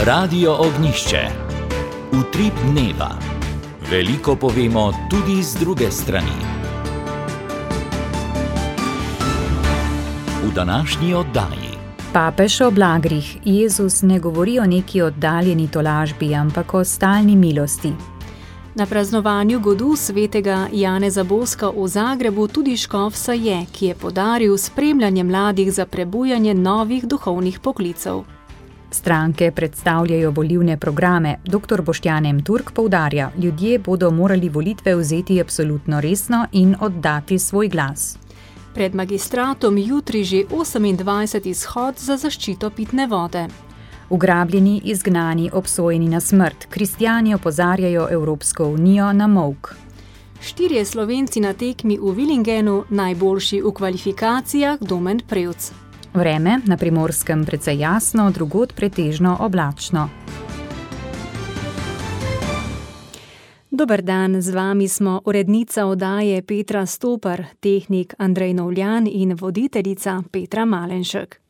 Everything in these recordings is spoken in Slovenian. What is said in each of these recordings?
Radio Ognjišče. Utrip dneva. Veliko povemo tudi z druge strani. V današnji oddaji. Papež o blagrih. Jezus ne govori o neki oddaljeni tolažbi, ampak o stalni milosti. Na praznovanju godu svetega Janeza Boska v Zagrebu tudi škof Saje, ki je podaril spremljanje mladih za prebujanje novih duhovnih poklicev. Stranke predstavljajo volilne programe. Dr. Boštjan M. Turk poudarja, ljudje bodo morali volitve vzeti absolutno resno in oddati svoj glas. Pred magistratom jutri že 28. shod za zaščito pitne vode. Ugrabljeni, izgnani, obsojeni na smrt. Kristjani opozarjajo Evropsko unijo na molk. 4 Slovenci na tekmi v Villingenu, najboljši v kvalifikacijah Domen Prevc. Vreme na Primorskem precej jasno, drugod pretežno oblačno. Dober dan, z vami smo urednica oddaje Petra Stopar, tehnik Andrej Novljan in voditeljica Petra Malenšek.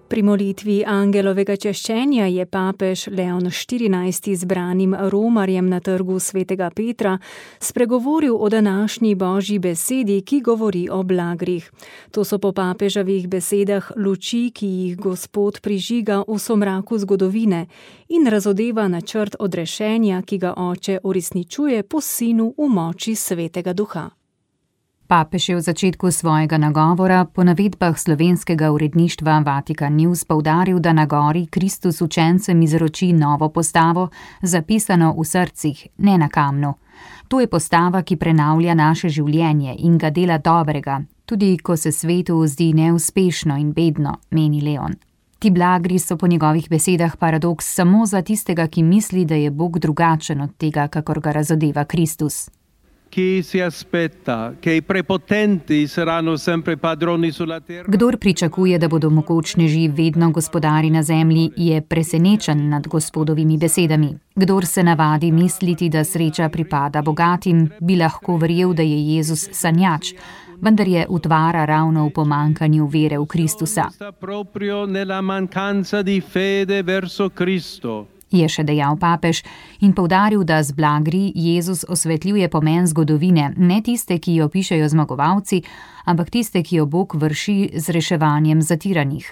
Pri molitvi angelovega češčenja je papež Leon XIV zbranim romarjem na trgu svetega Petra spregovoril o današnji božji besedi, ki govori o blagrih. To so po papeževih besedah luči, ki jih Gospod prižiga v somraku zgodovine in razodeva načrt odrešenja, ki ga Oče uresničuje po Sinu v moči Svetega Duha. Papež je v začetku svojega nagovora po navedbah slovenskega uredništva Vatikan News poudaril, da na gori Kristus učencem izroči novo postavo, zapisano v srcih, ne na kamnu. To je postava, ki prenavlja naše življenje in ga dela dobrega, tudi ko se svetu zdi neuspešno in bedno, meni Leon. Ti blagri so po njegovih besedah paradoks samo za tistega, ki misli, da je Bog drugačen od tega, kakor ga razodeva Kristus. Kdor pričakuje, da bodo mogočneži vedno gospodari na zemlji, je presenečen nad Gospodovimi besedami. Kdor se navadi misliti, da sreča pripada bogatim, bi lahko verjel, da je Jezus sanjač, vendar je utvara ravno v pomankanju vere v Kristusa. Je še dejal papež in poudaril, da z blagri Jezus osvetljuje pomen zgodovine, ne tiste, ki jo pišejo zmagovalci, ampak tiste, ki jo Bog vrši z reševanjem zatiranih.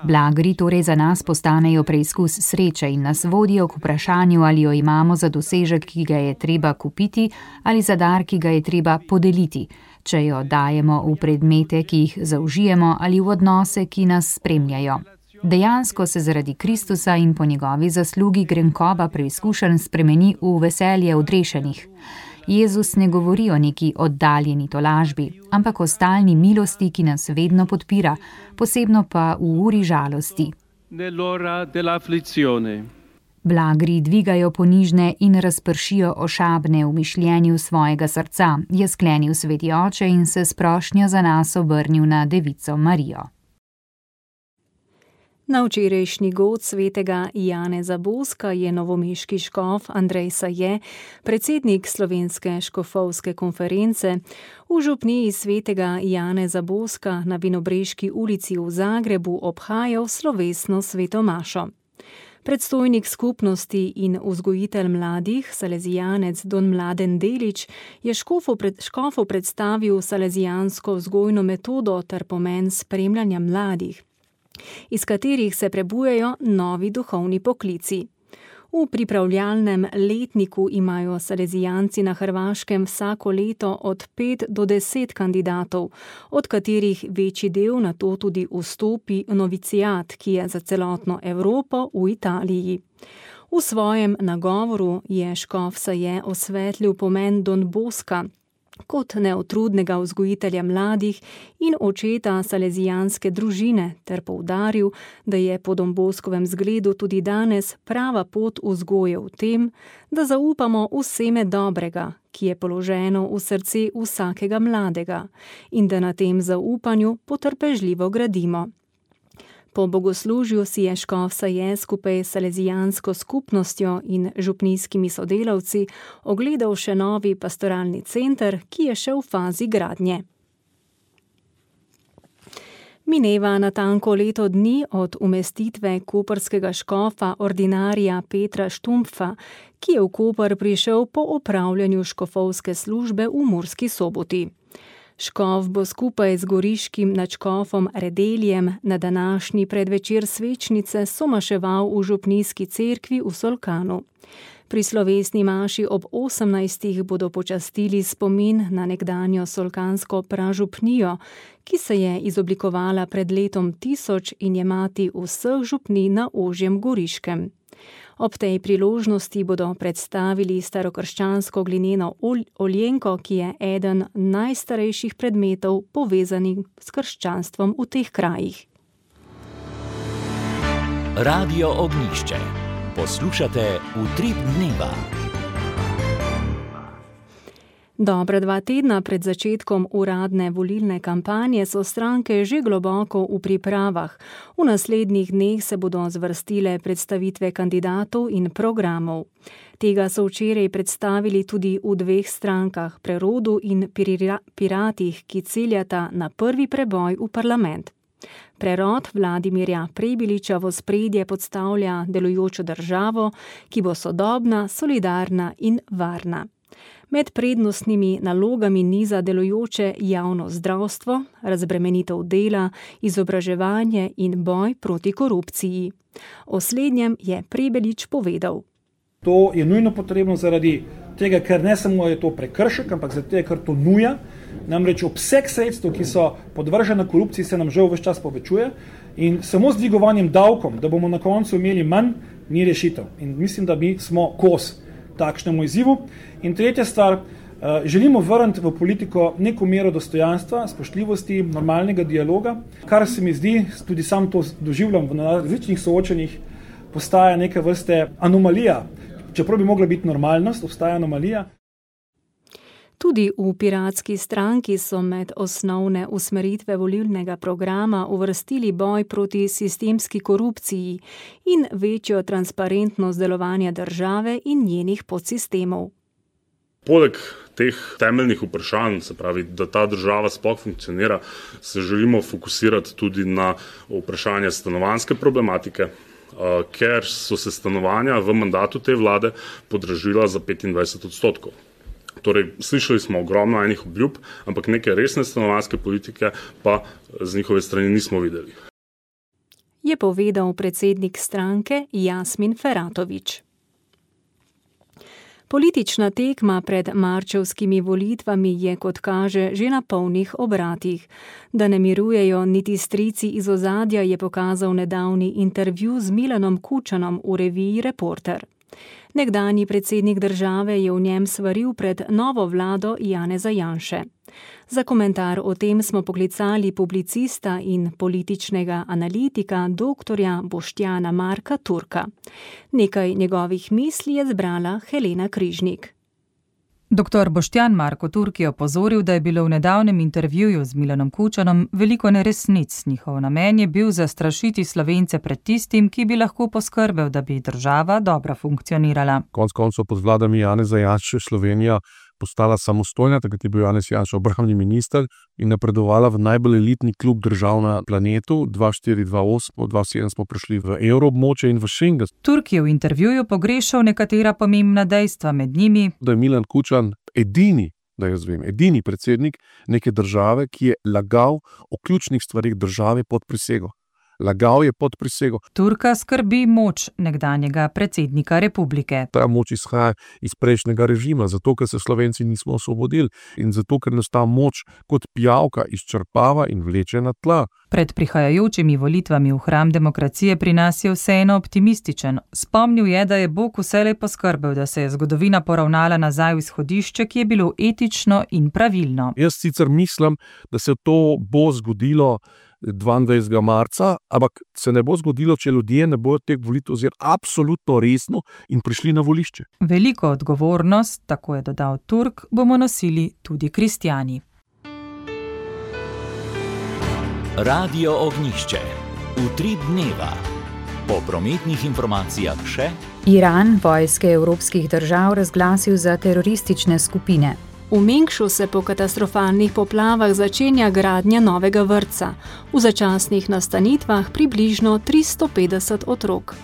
Blagri torej za nas postanejo preizkus sreče in nas vodijo k vprašanju, ali jo imamo za dosežek, ki ga je treba kupiti, ali za dar, ki ga je treba podeliti, če jo dajemo v predmete, ki jih zaužijemo, ali v odnose, ki nas spremljajo. Dejansko se zaradi Kristusa in po njegovi zaslugi grenkoba preizkušenj spremeni v veselje odrešenih. Jezus ne govori o neki oddaljeni tolažbi, ampak o stalni milosti, ki nas vedno podpira, posebno pa v uri žalosti. Blagri dvigajo ponižne in razpršijo ošabne v mišljenju svojega srca, je sklenil sveti oče in se s prošnjo za nas obrnil na devico Marijo. Na včerajšnji god svetega Janeza Boska je novomeški škof Andrej Saje, predsednik Slovenske škofovske konference, v župniji svetega Janeza Boska na Vinobreški ulici v Zagrebu obhajal slovesno sveto mašo. Predstojnik skupnosti in vzgojitelj mladih, salezijanec don Mladen Delić, je škofu predstavil salezijansko vzgojno metodo ter pomen spremljanja mladih, iz katerih se prebujajo novi duhovni poklici. V pripravljalnem letniku imajo salezijanci na Hrvaškem vsako leto od 5 do 10 kandidatov, od katerih večji del nato tudi vstopi v novicijat, ki je za celotno Evropo v Italiji. V svojem nagovoru je škof Saje osvetlil pomen Don Boska kot neutrudnega vzgojitelja mladih in očeta salezijanske družine ter poudaril, da je po Don Boskovem zgledu tudi danes prava pot vzgoje v tem, da zaupamo v seme dobrega, ki je položeno v srce vsakega mladega in da na tem zaupanju potrpežljivo gradimo. Po bogoslužju si je škof Saje skupaj s salezijansko skupnostjo in župnijskimi sodelavci ogledal še novi pastoralni center, ki je še v fazi gradnje. Mineva natanko leto dni od umestitve koprskega škofa ordinarija Petra Štumpfa, ki je v Koper prišel po opravljanju škofovske službe v Murski Soboti. Škof bo skupaj z goriškim nadškofom Redeljem na današnji predvečer svečnice somaševal v župnijski cerkvi v Solkanu. Pri slovesni maši ob 18. bodo počastili spomin na nekdanjo solkansko pražupnijo, ki se je izoblikovala pred letom 1000 in je mati vseh župnij na ožjem Goriškem. Ob tej priložnosti bodo predstavili starokrščansko glineno oljenko, ki je eden najstarejših predmetov povezanih s krščanstvom v teh krajih. Radio Ognjišče. Poslušate Utrip dneva. Dobra 2 tedna pred začetkom uradne volilne kampanje so stranke že globoko v pripravah. V naslednjih dneh se bodo zvrstile predstavitve kandidatov in programov. Tega so včeraj predstavili tudi v 2 strankah, Prerodu in Piratih, ki ciljata na prvi preboj v parlament. Prerod Vladimirja Prebiliča v ospredje podstavlja delujočo državo, ki bo sodobna, solidarna in varna. Med prednostnimi nalogami niza delujoče javno zdravstvo, razbremenitev dela, izobraževanje in boj proti korupciji. O slednjem je Prebelič povedal. To je nujno potrebno zaradi tega, ker ne samo je to prekršek, ampak zaradi tega, ker to nuja. Namreč obseg sredstev, ki so podvržena korupciji, se nam žal ves čas povečuje in samo z dvigovanjem davkom, da bomo na koncu imeli manj, ni rešitev. In mislim, da mi smo kos takšnemu izzivu. In tretja stvar, želimo vrniti v politiko neko mero dostojanstva, spoštljivosti, normalnega dialoga, kar se mi zdi, tudi sam to doživljam v različnih soočenjih, postaja neka vrste anomalija. Čeprav bi mogla biti normalnost, obstaja anomalija. Tudi v Piratski stranki so med osnovne usmeritve volilnega programa uvrstili boj proti sistemski korupciji in večjo transparentnost delovanja države in njenih podsistemov. Poleg teh temeljnih vprašanj, se pravi, da ta država sploh funkcionira, se želimo fokusirati tudi na vprašanje stanovanjske problematike, ker so se stanovanja v mandatu te vlade podražila za 25%. Torej, slišali smo ogromno enih obljub, ampak neke resne stanovanjske politike pa z njihove strani nismo videli. Je povedal predsednik stranke Jasmin Feratović. Politična tekma pred marčevskimi volitvami je, kot kaže, že na polnih obratih. Da ne mirujejo niti strici iz ozadja, je pokazal nedavni intervju z Milanom Kučanom v reviji Reporter. Nekdanji predsednik države je v njem svaril pred novo vlado Janeza Janše. Za komentar o tem smo poklicali publicista in političnega analitika doktorja Boštjana Marka Turka. Nekaj njegovih misli je zbrala Helena Križnik. Dr. Boštjan Marko Turk je opozoril, da je bilo v nedavnem intervjuju z Milanom Kučanom veliko neresnic. Njihov namen je bil zastrašiti Slovence pred tistim, ki bi lahko poskrbel, da bi država dobro funkcionirala. Konec koncev pod vladami Janeza Janše Slovenija postala samostojna, takrat je bil Janez Janša obrambni minister in napredovala v najbolj elitni klub držav na planetu. 2004-2008, 2007 smo prišli v evroobmočje in v Schengen. Turk je v intervjuju pogrešal nekatera pomembna dejstva, med njimi, da je Milan Kučan edini predsednik neke države, ki je lagal o ključnih stvarih države pod prisego. Lagal je pod prisego. Turka skrbi moč nekdanjega predsednika republike. Ta moč izhaja iz prejšnjega režima, zato ker se Slovenci nismo osvobodili in zato ker nas ta moč kot pijavka izčrpava in vleče na tla. Pred prihajajočimi volitvami v hram demokracije pri nas je vseeno optimističen. Spomnil je, da je Bog vselej poskrbel, da se je zgodovina poravnala nazaj v izhodišče, ki je bilo etično in pravilno. Jaz sicer mislim, da se to bo zgodilo 22. marca, ampak se ne bo zgodilo, če ljudje ne bodo teh volitev vzeli absolutno resno in prišli na volišče. Veliko odgovornost, tako je dodal Turk, bomo nosili tudi kristjani. Radio Ognjišče. Utrip dneva. Po prometnih informacijah še: Iran vojske evropskih držav razglasil za teroristične skupine. V Mengšu se po katastrofalnih poplavah začenja gradnja novega vrtca. V začasnih nastanitvah približno 350 otrok.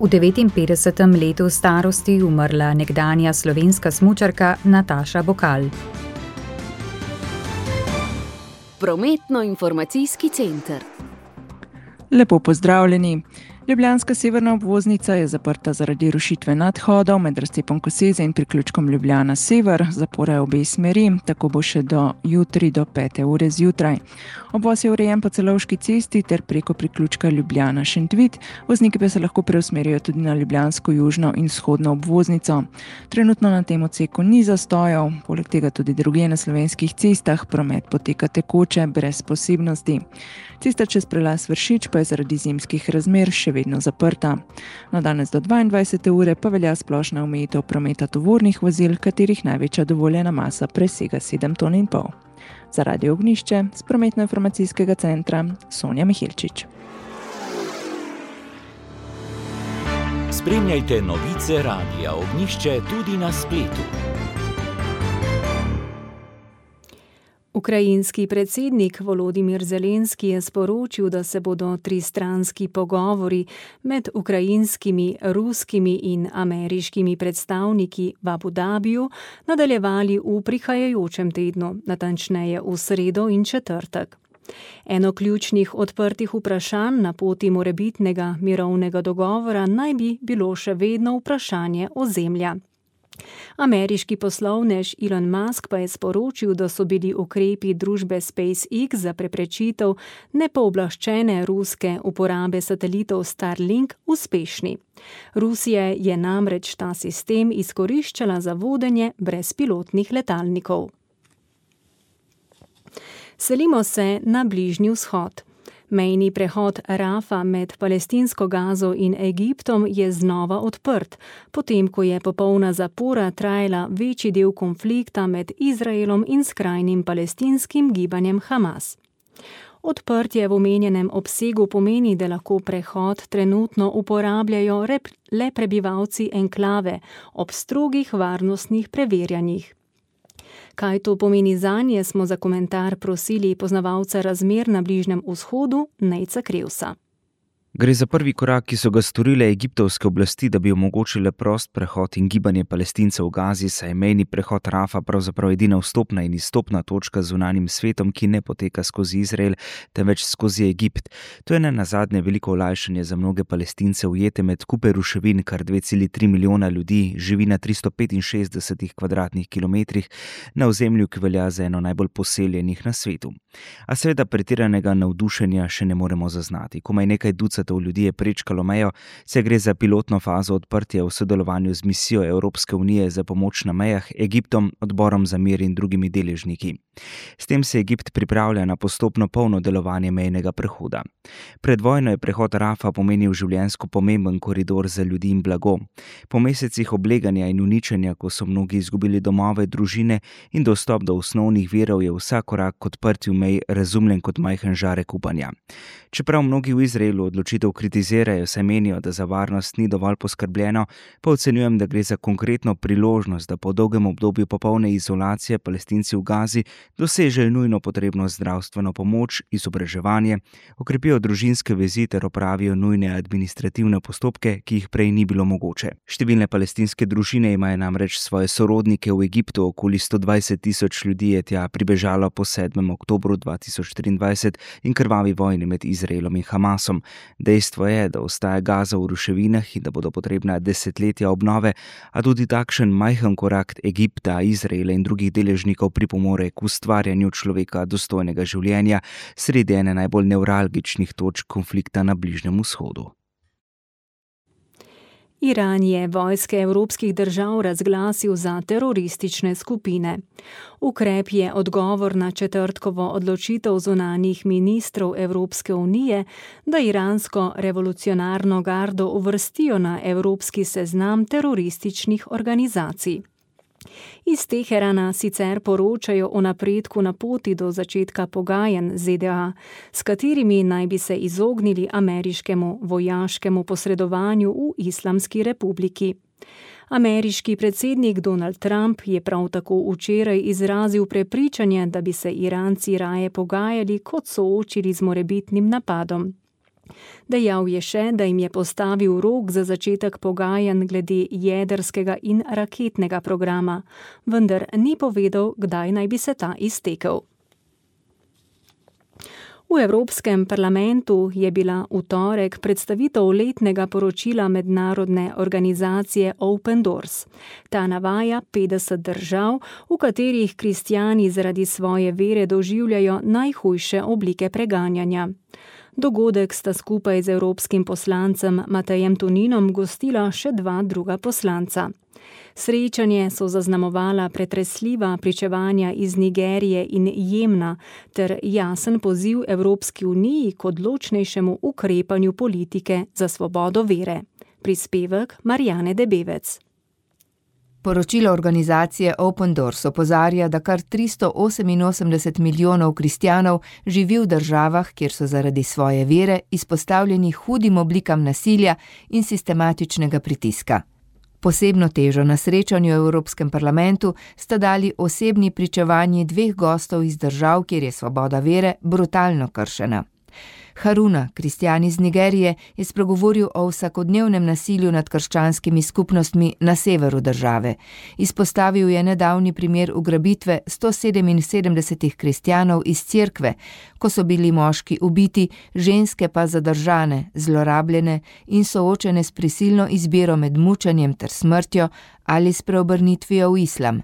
V 59. letu starosti umrla nekdanja slovenska smučarka Nataša Bokal. Prometno-informacijski center. Lepo pozdravljeni. Ljubljanska severna obvoznica je zaprta zaradi rušitve nadhodov med razcepom Koseze in priključkom Ljubljana Sever, zapore obe smeri, tako bo še do jutri do 5. ure zjutraj. Obvoz je urejen po Celovški cesti ter preko priključka Ljubljana Šentvid, vozniki pa se lahko preusmerijo tudi na ljubljansko južno in vzhodno obvoznico. Trenutno na tem odseku ni zastojev, poleg tega tudi drugje na slovenskih cestah promet poteka tekoče, brez posebnosti. Cesta čez prelaz Vršič pa je zaradi zimskih razmer še vedno zaprta. Na danes do 22. ure pa velja splošna omejitev prometa tovornih vozil, katerih največja dovoljena masa presega 7,5 ton. Za Radio Ognjišče s prometno-informacijskega centra Sonja Mihilčič. Spremljajte novice Radia Ognjišče tudi na spletu. Ukrajinski predsednik Volodimir Zelenski je sporočil, da se bodo tristranski pogovori med ukrajinskimi, ruskimi in ameriškimi predstavniki v Abu Dabiju nadaljevali v prihajajočem tednu, natančneje v sredo in četrtek. Eno ključnih odprtih vprašanj na poti morebitnega mirovnega dogovora naj bi bilo še vedno vprašanje ozemlja. Ameriški poslovnež Elon Musk pa je sporočil, da so bili ukrepi družbe SpaceX za preprečitev nepooblaščene ruske uporabe satelitov Starlink uspešni. Rusija je namreč ta sistem izkoriščala za vodenje brezpilotnih letalnikov. Selimo se na Bližnji vzhod. Mejni prehod Rafa med palestinsko Gazo in Egiptom je znova odprt, potem ko je popolna zapora trajala večji del konflikta med Izraelom in skrajnim palestinskim gibanjem Hamas. Odprtje v omenjenem obsegu pomeni, da lahko prehod trenutno uporabljajo le prebivalci enklave ob strogih varnostnih preverjanjih. Kaj to pomeni zanje, smo za komentar prosili poznavalca razmer na Bližnjem vzhodu Nejca Krevsa. Gre za prvi korak, ki so ga storile egiptovske oblasti, da bi omogočile prost prehod in gibanje Palestincev v Gazi, saj je mejni prehod Rafa pravzaprav edina vstopna in izstopna točka z zunanjim svetom, ki ne poteka skozi Izrael, temveč skozi Egipt. To je nenazadnje veliko olajšanje za mnoge Palestince ujete med kupe ruševin, kar 2,3 milijona ljudi živi na 365 kvadratnih kilometrih na ozemlju, ki velja za eno najbolj poseljenih na svetu. A seveda pretiranega navdušenja še ne moremo zaznati. Komaj nekaj ducatov ljudi je prečkalo mejo, se gre za pilotno fazo odprtja v sodelovanju z misijo Evropske unije za pomoč na mejah, Egiptom, Odborom za mir in drugimi deležniki. S tem se Egipt pripravlja na postopno polno delovanje mejnega prehoda. Pred vojno je prehod Rafa pomenil življenjsko pomemben koridor za ljudi in blago. Po mesecih obleganja in uničenja, ko so mnogi izgubili domove, družine in dostop do osnovnih virov, je vsak korak k odprtju mej razumljen kot majhen žarek upanja. Čeprav mnogi v Izraelu odločitev kritizirajo, saj menijo, da za varnost ni dovolj poskrbljeno, pa ocenjujem, da gre za konkretno priložnost, da po dolgem obdobju popolne izolacije Palestinci v Gazi dosežejo nujno potrebno zdravstveno pomoč, izobraževanje, okrepijo družinske vezi ter opravijo nujne administrativne postopke, ki jih prej ni bilo mogoče. Številne palestinske družine imajo namreč svoje sorodnike v Egiptu, okoli 120,000 ljudi je tja pribežalo po 7. oktobru 2023 in krvavi vojni med Izraelom in Hamasom. Dejstvo je, da ostaja Gaza v ruševinah in da bodo potrebna desetletja obnove, a tudi takšen majhen korak Egipta, Izraela in drugih deležnikov pripomore k ustvarjanju človeka dostojnega življenja sredi ene najbolj nevralgičnih točk konflikta na Bližnjem vzhodu. Iran je vojske evropskih držav razglasil za teroristične skupine. Ukrep je odgovor na četrtkovo odločitev zunanjih ministrov Evropske unije, da iransko revolucionarno gardo uvrstijo na evropski seznam terorističnih organizacij. Iz Teherana sicer poročajo o napredku na poti do začetka pogajanj ZDA, s katerimi naj bi se izognili ameriškemu vojaškemu posredovanju v Islamski republiki. Ameriški predsednik Donald Trump je prav tako včeraj izrazil prepričanje, da bi se Iranci raje pogajali, kot soočili z morebitnim napadom. Dejal je še, da jim je postavil rok za začetek pogajanj glede jedrskega in raketnega programa, vendar ni povedal, kdaj naj bi se ta iztekel. V Evropskem parlamentu je bila v torek predstavitev letnega poročila mednarodne organizacije Open Doors. Ta navaja 50 držav, v katerih kristjani zaradi svoje vere doživljajo najhujše oblike preganjanja. Dogodek sta skupaj z evropskim poslancem Matejem Toninom gostila še 2 druga poslanca. Srečanje so zaznamovala pretresljiva pričevanja iz Nigerije in Jemna ter jasen poziv Evropski uniji k odločnejšemu ukrepanju politike za svobodo vere. Prispevek Marjane Debevec. Poročilo organizacije Open Doors opozarja, da kar 388 milijonov kristjanov živi v državah, kjer so zaradi svoje vere izpostavljeni hudim oblikam nasilja in sistematičnega pritiska. Posebno težo na srečanju v Evropskem parlamentu sta dali osebni pričevanji 2 gostov iz držav, kjer je svoboda vere brutalno kršena. Haruna, kristjan iz Nigerije, je spregovoril o vsakodnevnem nasilju nad krščanskimi skupnostmi na severu države. Izpostavil je nedavni primer ugrabitve 177 kristjanov iz cerkve, ko so bili moški ubiti, ženske pa zadržane, zlorabljene in soočene s prisilno izbiro med mučenjem ter smrtjo ali s preobrnitvijo v islam.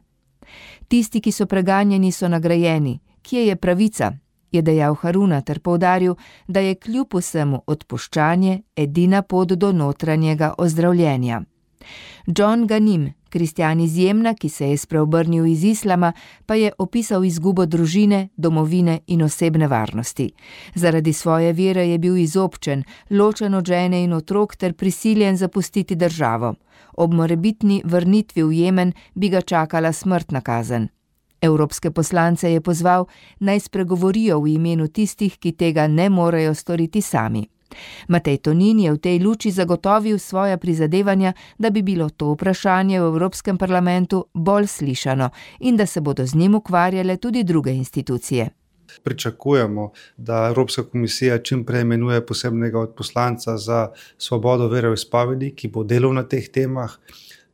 Tisti, ki so preganjeni, so nagrajeni. Kje je pravica? Je dejal Haruna ter poudaril, da je kljub vsemu odpuščanje edina pot do notranjega ozdravljenja. John Ganim, kristjan iz Jemna, ki se je spreobrnil iz islama, pa je opisal izgubo družine, domovine in osebne varnosti. Zaradi svoje vere je bil izobčen, ločen od žene in otrok ter prisiljen zapustiti državo. Ob morebitni vrnitvi v Jemen bi ga čakala smrtna kazen. Evropske poslance je pozval, naj spregovorijo v imenu tistih, ki tega ne morejo storiti sami. Matej Tonin je v tej luči zagotovil svoja prizadevanja, da bi bilo to vprašanje v Evropskem parlamentu bolj slišano in da se bodo z njim ukvarjale tudi druge institucije. Pričakujemo, da Evropska komisija čim prej imenuje posebnega odposlanca za svobodo veroizpovedi, ki bo delal na teh temah.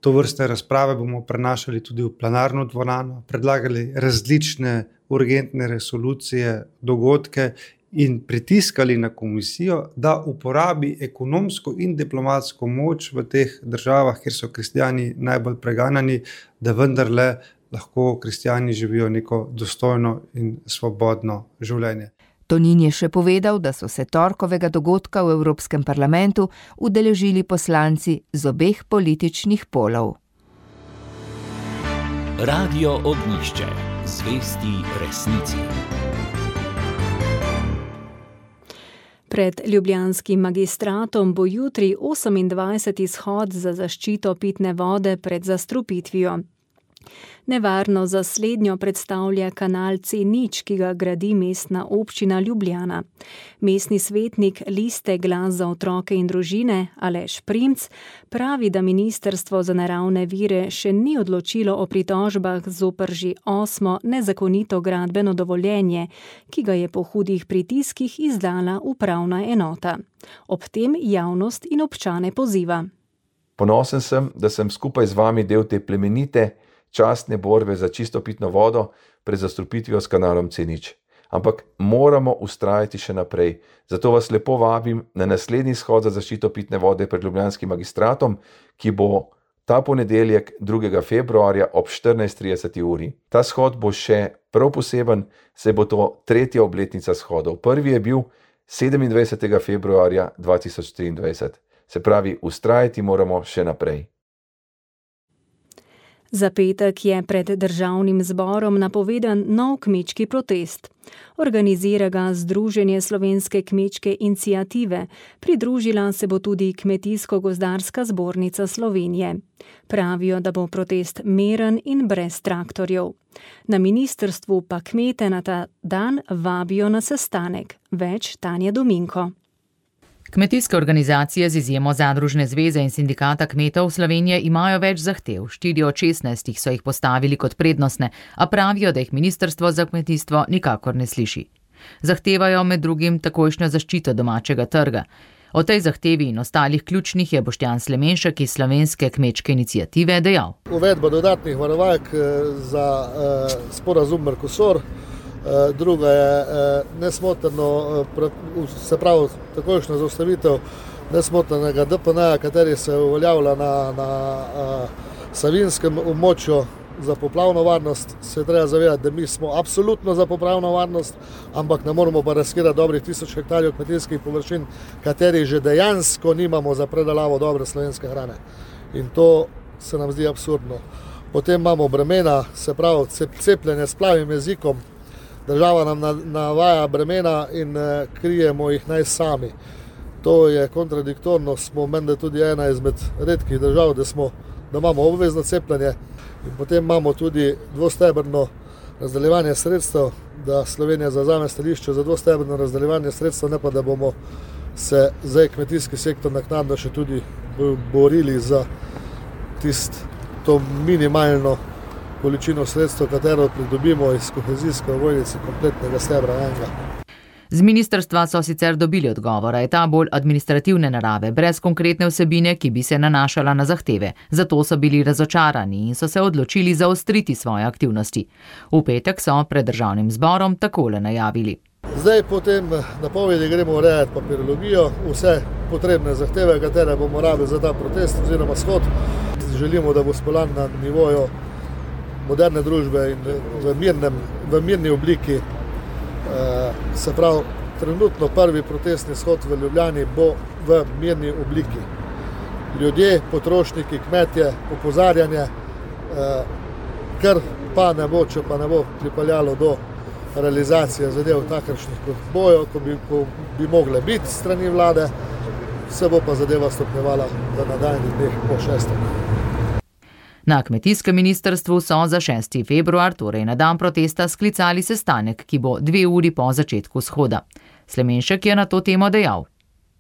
To vrste razprave bomo prenašali tudi v plenarno dvorano, predlagali različne urgentne resolucije, dogodke in pritiskali na komisijo, da uporabi ekonomsko in diplomatsko moč v teh državah, kjer so kristjani najbolj preganjani, da vendarle lahko kristjani živijo neko dostojno in svobodno življenje. Tonin je še povedal, da so se torkovega dogodka v Evropskem parlamentu udeležili poslanci z obeh političnih polov. Radio Ognjišče. Zvesti resnici. Pred ljubljanskim magistratom bo jutri 28. shod za zaščito pitne vode pred zastrupitvijo. Nevarno za slednjo predstavlja kanal C0, ki ga gradi mestna občina Ljubljana. Mestni svetnik Liste Glas za otroke in družine Aleš Primc pravi, da Ministrstvo za naravne vire še ni odločilo o pritožbah zoper že 8. nezakonito gradbeno dovoljenje, ki ga je po hudih pritiskih izdala upravna enota. Ob tem javnost in občane poziva. Ponosen sem, da sem skupaj z vami del te plemenite, častne borbe za čisto pitno vodo pred zastrupitvijo s kanalom C0. Ampak moramo vztrajati še naprej. Zato vas lepo vabim na naslednji shod za zaščito pitne vode pred ljubljanskim magistratom, ki bo ta ponedeljek 2. februarja ob 14:30 uri. Ta shod bo še prav poseben, saj bo to 3. obletnica shodov. Prvi je bil 27. februarja 2023. Se pravi, vztrajati moramo še naprej. Za petek je pred državnim zborom napovedan nov kmečki protest. Organizira ga Združenje slovenske kmečke iniciative, pridružila se bo tudi Kmetijsko-gozdarska zbornica Slovenije. Pravijo, da bo protest miren in brez traktorjev. Na ministrstvu pa kmete na ta dan vabijo na sestanek. Več Tanja Dominko. Kmetijske organizacije z izjemo Zadružne zveze in sindikata kmetov Slovenije imajo več zahtev. 4 od 16 so jih postavili kot prednostne, a pravijo, da jih Ministrstvo za kmetijstvo nikakor ne sliši. Zahtevajo med drugim takojšnjo zaščito domačega trga. O tej zahtevi in ostalih ključnih je Boštjan Slemenšek iz Slovenske kmečke iniciative dejal. Uvedba dodatnih varovalk za sporazum Mercosur. Druga je nesmotrno, se pravi takojšnja zaustavitev nesmotrnega DPN-ja, kateri se uveljavlja na savinjskem območju za poplavno varnost. Se treba zavedati, da mi smo absolutno za poplavno varnost, ampak ne moramo pa riskirati dobrih 1000 hektarjev kmetijskih površin, kateri že dejansko nimamo za predelavo dobre slovenske hrane. In to se nam zdi absurdno. Potem imamo bremena, se pravi cepljenje s plavim jezikom. Država nam navaja bremena in krijemo jih naj sami. To je kontradiktorno, smo menda tudi ena izmed redkih držav, da imamo obvezno cepljenje. In potem imamo tudi dvostebrno razdeljevanje sredstev, da Slovenija zavzame stališče za dvostebrno razdeljevanje sredstev, ne pa da bomo se zdaj kmetijski sektor naknadno še tudi borili za to minimalno količino sredstev, katero pridobimo iz kohezijske ovojnice kompletnega stebra enega. Z ministrstva so sicer dobili odgovor, a je ta bolj administrativne narave, brez konkretne vsebine, ki bi se nanašala na zahteve. Zato so bili razočarani in so se odločili zaostriti svoje aktivnosti. V petek so pred državnim zborom takole najavili. Zdaj po tem napovedi gremo urejati papirologijo, vse potrebne zahteve, katere bomo rabili za ta protest oziroma shod. Želimo, da bo speljan na nivoju moderne družbe in v mirni obliki. Se pravi, trenutno prvi protestni shod v Ljubljani bo v mirni obliki. Ljudje, potrošniki, kmetje, opozarjanje, kar pa ne bo, če pa ne bo pripeljalo do realizacije zadev takršnih kot bojo, ko bi mogle biti strani vlade, se bo pa zadeva stopnjevala v nadaljnjih dneh po 6. Na kmetijskem ministrstvu so za 6. februar, torej na dan protesta, sklicali sestanek, ki bo 2 uri po začetku shoda. Slemenšek je na to temo dejal.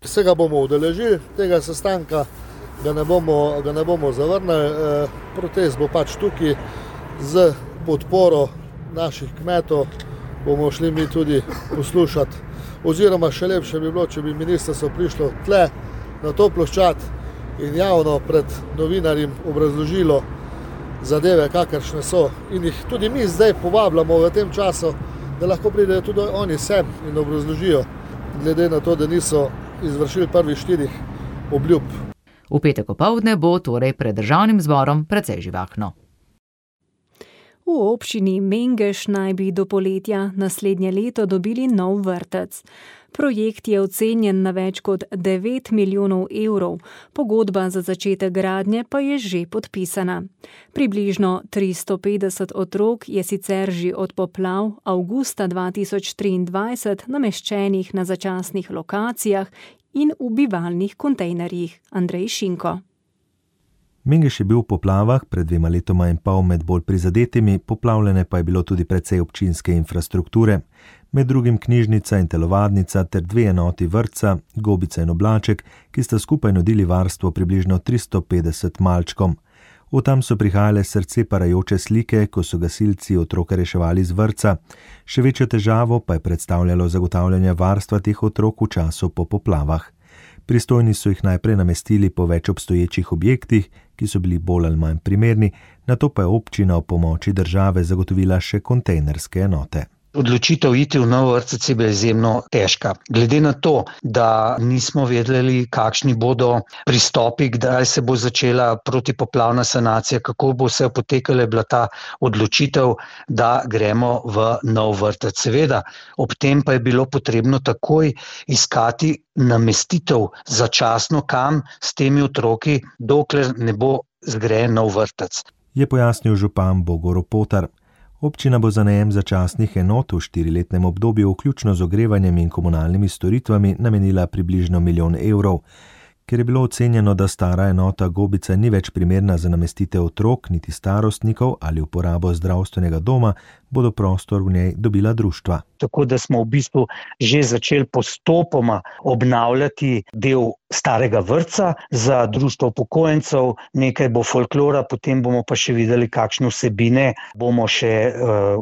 Se ga bomo udeležili, tega sestanka ga ne bomo zavrnili. Protest bo pač tukaj z podporo naših kmetov. Bomo šli mi tudi poslušati. Oziroma še lepše bi bilo, če bi ministrstvo prišlo tle na to ploščad in javno pred novinarjem obrazložilo zadeve, kakršne so. In jih tudi mi zdaj povabljamo v tem času, da lahko pridejo tudi oni sem in obrazložijo, glede na to, da niso izvršili prvih 4 obljub. V petek opoldne bo torej pred državnim zborom precej živahno. V občini Mengeš naj bi do poletja naslednje leto dobili nov vrtec. Projekt je ocenjen na več kot 9 milijonov evrov, pogodba za začetek gradnje pa je že podpisana. Približno 350 otrok je sicer že od poplav avgusta 2023 nameščenih na začasnih lokacijah in v bivalnih kontejnerjih. Andrej Šinko. Mengeš je bil v poplavah pred 2 letoma in pol med bolj prizadetimi, poplavljene pa je bilo tudi precej občinske infrastrukture, med drugim knjižnica in telovadnica ter 2 enoti vrtca, Gobica in Oblaček, ki sta skupaj nudili varstvo približno 350 malčkom. Od tam so prihajale srce parajoče slike, ko so gasilci otroke reševali z vrtca. Še večjo težavo pa je predstavljalo zagotavljanje varstva teh otrok v času po poplavah. Pristojni so jih najprej namestili po več obstoječih objektih, ki so bili bolj ali manj primerni, nato pa je občina ob pomoči države zagotovila še kontejnerske enote. Odločitev iti v nov vrtec je bila izjemno težka. Glede na to, da nismo vedeli, kakšni bodo pristopi, kdaj se bo začela protipoplavna sanacija, kako bo vse potekalo, je bila ta odločitev, da gremo v nov vrtec. Seveda, ob tem pa je bilo potrebno takoj iskati namestitev začasno kam s temi otroki, dokler ne bo zgrajen nov vrtec. je pojasnil župan Bogo Ropotar. Občina bo za najem začasnih enot v 4-letnem obdobju, vključno z ogrevanjem in komunalnimi storitvami, namenila približno 1 milijon evrov. Ker je bilo ocenjeno, da stara enota Gobica ni več primerna za namestitev otrok, niti starostnikov ali uporabo zdravstvenega doma, bodo prostor v njej dobila društva. Tako da smo v bistvu že začeli postopoma obnavljati del starega vrtca za društvo upokojencev, nekaj bo folklora, potem bomo pa še videli, kakšne vsebine bomo še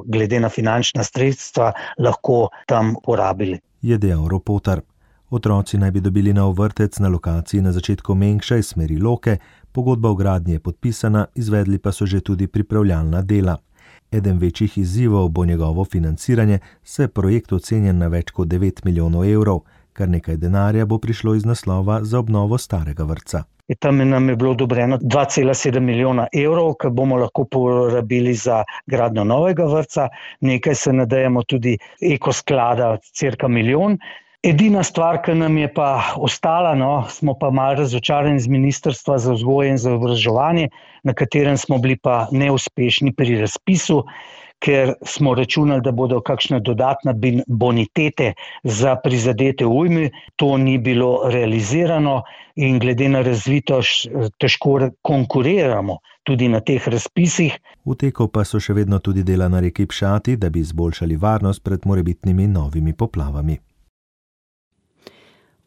glede na finančna sredstva lahko tam porabili. Je dejal Ropotar. Otroci naj bi dobili nov vrtec na lokaciji na začetku Mengša iz smeri Loke, pogodba o gradnji je podpisana, izvedli pa so že tudi pripravljalna dela. Eden večjih izzivov bo njegovo financiranje, saj projekt ocenjen na več kot 9 milijonov evrov, kar nekaj denarja bo prišlo iz naslova za obnovo starega vrtca. Tam nam je bilo odobreno 2,7 milijona evrov, ki bomo lahko porabili za gradnjo novega vrtca, nekaj se nadejamo tudi ekosklada, cirka 1 milijon. Edina stvar, ki nam je pa ostala, smo pa malo razočarani z Ministrstva za vzgojo in izobraževanje, na katerem smo bili pa neuspešni pri razpisu, ker smo računali, da bodo kakšne dodatne bonitete za prizadete ujmi. To ni bilo realizirano in glede na razvitost težko konkuriramo tudi na teh razpisih. V teku pa so še vedno tudi dela na reki Pšati, da bi izboljšali varnost pred morebitnimi novimi poplavami.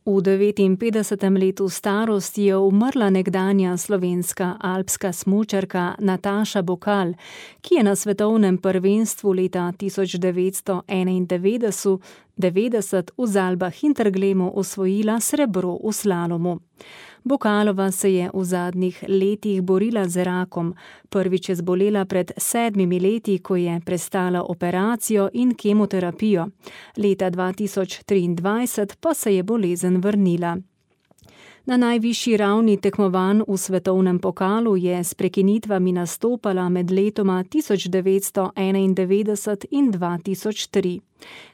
V 59. letu starosti je umrla nekdanja slovenska alpska smučarka Nataša Bokal, ki je na svetovnem prvenstvu leta 1991 v Zalbah Interglemu osvojila srebro v slalomu. Bokalova se je v zadnjih letih borila z rakom. Prvič je zbolela pred 7 leti, ko je prestala operacijo in kemoterapijo. Leta 2023 pa se je bolezen vrnila. Na najvišji ravni tekmovanj v svetovnem pokalu je s prekinitvami nastopala med letoma 1991 in 2003.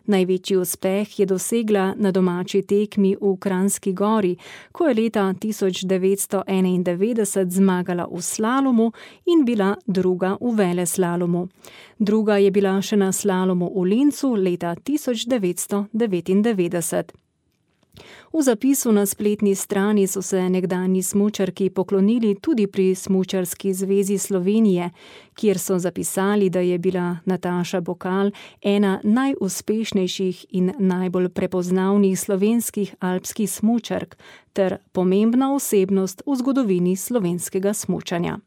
Največji uspeh je dosegla na domači tekmi v Kranjski Gori, ko je leta 1991 zmagala v slalomu in bila druga v veleslalomu. Druga je bila še na slalomu v Lincu leta 1999. V zapisu na spletni strani so se nekdanji smučarki poklonili tudi pri Smučarski zvezi Slovenije, kjer so zapisali, da je bila Nataša Bokal ena najuspešnejših in najbolj prepoznavnih slovenskih alpskih smučark ter pomembna osebnost v zgodovini slovenskega smučanja.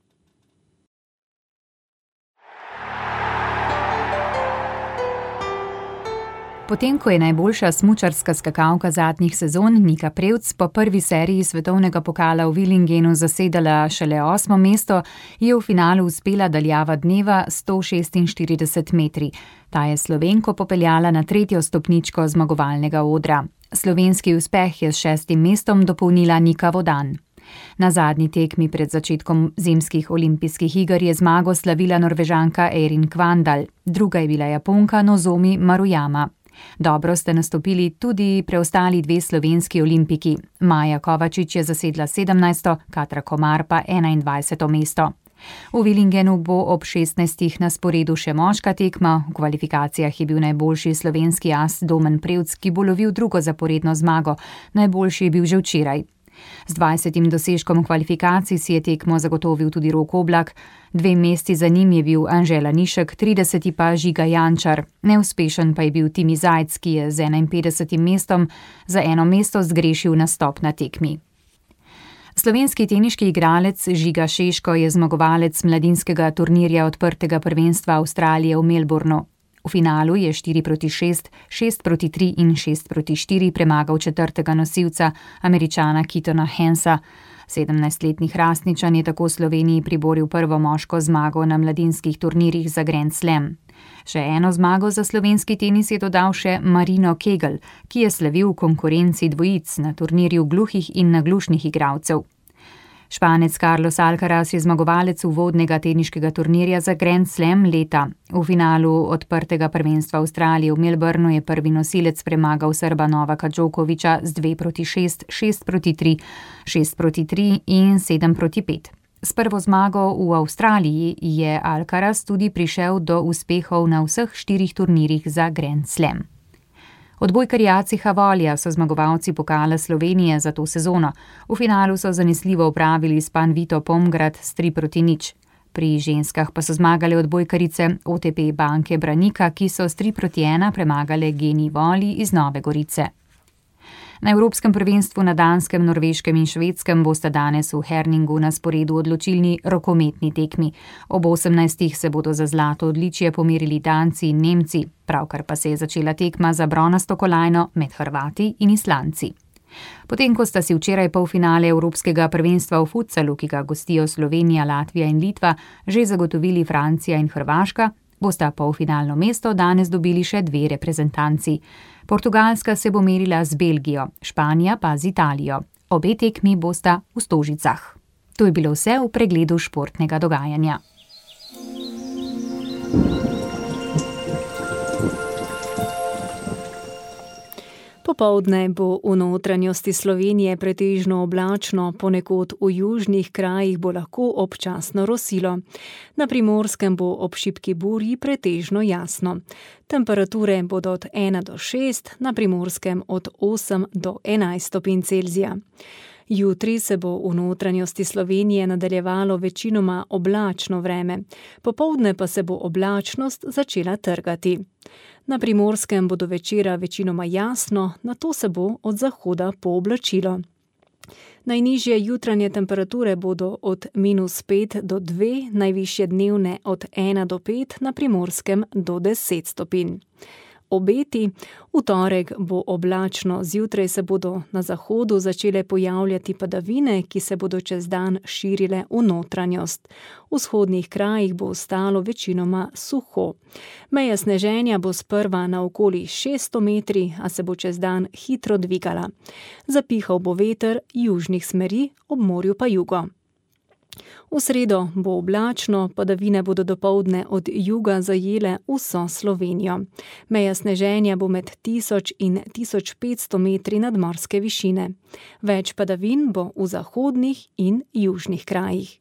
Potem, ko je najboljša smučarska skakalka zadnjih sezon Nika Prevc po prvi seriji svetovnega pokala v Willingenu zasedala šele 8. mesto, je v finalu uspela daljava dneva 146 metri. Ta je Slovenko popeljala na 3. stopničko zmagovalnega odra. Slovenski uspeh je s 6. mestom dopolnila Nika Vodan. Na zadnji tekmi pred začetkom zimskih olimpijskih iger je zmago slavila Norvežanka Erin Kvandal, druga je bila Japonka Nozomi Maruyama. Dobro ste nastopili tudi preostali 2 slovenski olimpiki. Maja Kovačič je zasedla 17., Katra Komar pa 21. mesto. V Willingenu bo ob 16. na sporedu še moška tekma. V kvalifikacijah je bil najboljši slovenski as Domen Prevc, ki bo lovil drugo zaporedno zmago. Najboljši je bil že včeraj. Z 20. dosežkom kvalifikacij si je tekmo zagotovil tudi Rok Oblak, 2 mesti za njim je bil Anžela Nišek, 30. pa Žiga Jančar. Neuspešen pa je bil Timi Zajc, ki je z 51. mestom za 1 mesto zgrešil nastop na tekmi. Slovenski teniški igralec Žiga Šeško je zmagovalec mladinskega turnirja odprtega prvenstva Avstralije v Melbournu. V finalu je 4-6, 6-3 in 6-4 premagal 4. nosilca, Američana Keatona Hensa. 17-letni Hrastničan je tako Sloveniji priboril prvo moško zmago na mladinskih turnirjih za Grand Slam. Še eno zmago za slovenski tenis je dodal še Marino Kegel, ki je slavil v konkurenci dvojic na turnirju gluhih in naglušnih igralcev. Španec Carlos Alcaraz je zmagovalec uvodnega teniškega turnirja za Grand Slam leta. V finalu odprtega prvenstva Avstralije v Melbournu je prvi nosilec premagal Srba Novaka Djokovića z 2-6, 6-3, 6-3 in 7-5. S prvo zmago v Avstraliji je Alcaraz tudi prišel do uspehov na vseh 4 turnirjih za Grand Slam. Odbojkarji Aciha Volja so zmagovalci pokala Slovenije za to sezono. V finalu so zanesljivo opravili s Panvito Pomgrad s 3-0. Pri ženskah pa so zmagale odbojkarice OTP Banke Branika, ki so s 3-1 premagale Geni Voli iz Nove Gorice. Na Evropskem prvenstvu na Danskem, Norveškem in Švedskem bosta danes v Herningu na sporedu odločilni rokometni tekmi. Ob 18. se bodo za zlato odličje pomerili Danci in Nemci, pravkar pa se je začela tekma za bronasto kolajno med Hrvati in Islanci. Potem, ko sta si včeraj polfinale Evropskega prvenstva v futsalu, ki ga gostijo Slovenija, Latvija in Litva, že zagotovili Francija in Hrvaška, bosta polfinalno mesto danes dobili še 2 reprezentanci. Portugalska se bo merila z Belgijo, Španija pa z Italijo. Obe tekmi bosta v Stožicah. To je bilo vse v pregledu športnega dogajanja. Popoldne bo v notranjosti Slovenije pretežno oblačno, ponekod v južnih krajih bo lahko občasno rosilo. Na Primorskem bo ob šibki burji pretežno jasno. Temperature bodo od 1 do 6, na Primorskem od 8 do 11 stopinj Celzija. Jutri se bo v notranjosti Slovenije nadaljevalo večinoma oblačno vreme, popoldne pa se bo oblačnost začela trgati. Na Primorskem bo do večera večinoma jasno, nato se bo od zahoda pooblačilo. Najnižje jutranje temperature bodo od -5 do 2, najvišje dnevne od 1 do 5, na Primorskem do 10 stopinj. Obeti. V torek bo oblačno, zjutraj se bodo na zahodu začele pojavljati padavine, ki se bodo čez dan širile v notranjost. V vzhodnih krajih bo ostalo večinoma suho. Meja sneženja bo sprva na okoli 600 metri, a se bo čez dan hitro dvigala. Zapihal bo veter južnih smeri, ob morju pa jugo. V sredo bo oblačno, padavine bodo dopoldne od juga zajele vso Slovenijo. Meja sneženja bo med 1000 in 1500 metri nadmorske višine. Več padavin bo v zahodnih in južnih krajih.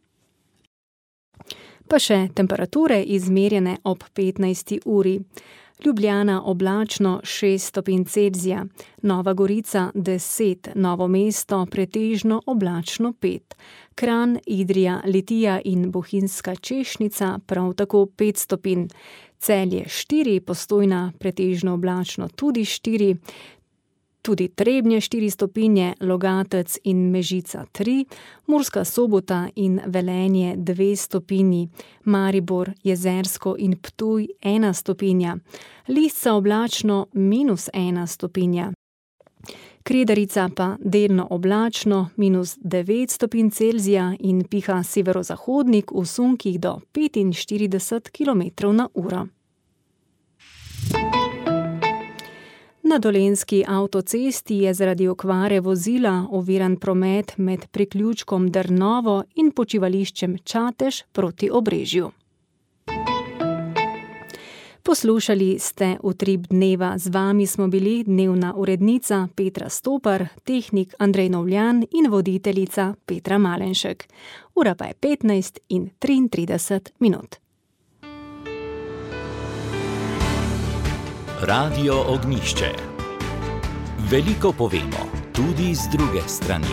Pa še temperature izmerjene ob 15. uri. Ljubljana oblačno 6 stopinj Celzija, Nova Gorica 10, Novo mesto pretežno oblačno 5, Kranj, Idrija, Litija in Bohinjska Češnica prav tako 5 stopinj, Celje 4, Postojna pretežno oblačno tudi 4, tudi Trebnje 4 stopinje, Logatec in Mežica 3, Murska Sobota in Velenje 2 stopinji, Maribor, Jezersko in Ptuj 1 stopinja, Lisca oblačno -1 stopinja. Kredarica pa delno oblačno -9 stopinj Celzija in piha severozahodnik v sunkih do 45 km/h. Na Dolenjski avtocesti je zaradi okvare vozila oviran promet med priključkom Drnovo in počivališčem Čatež proti Obrežju. Poslušali ste Utrip dneva, z vami smo bili dnevna urednica Petra Stopar, tehnik Andrej Novljan in voditeljica Petra Malenšek. Ura pa je 15:33. Radio Ognjišče. Veliko povemo, tudi z druge strani.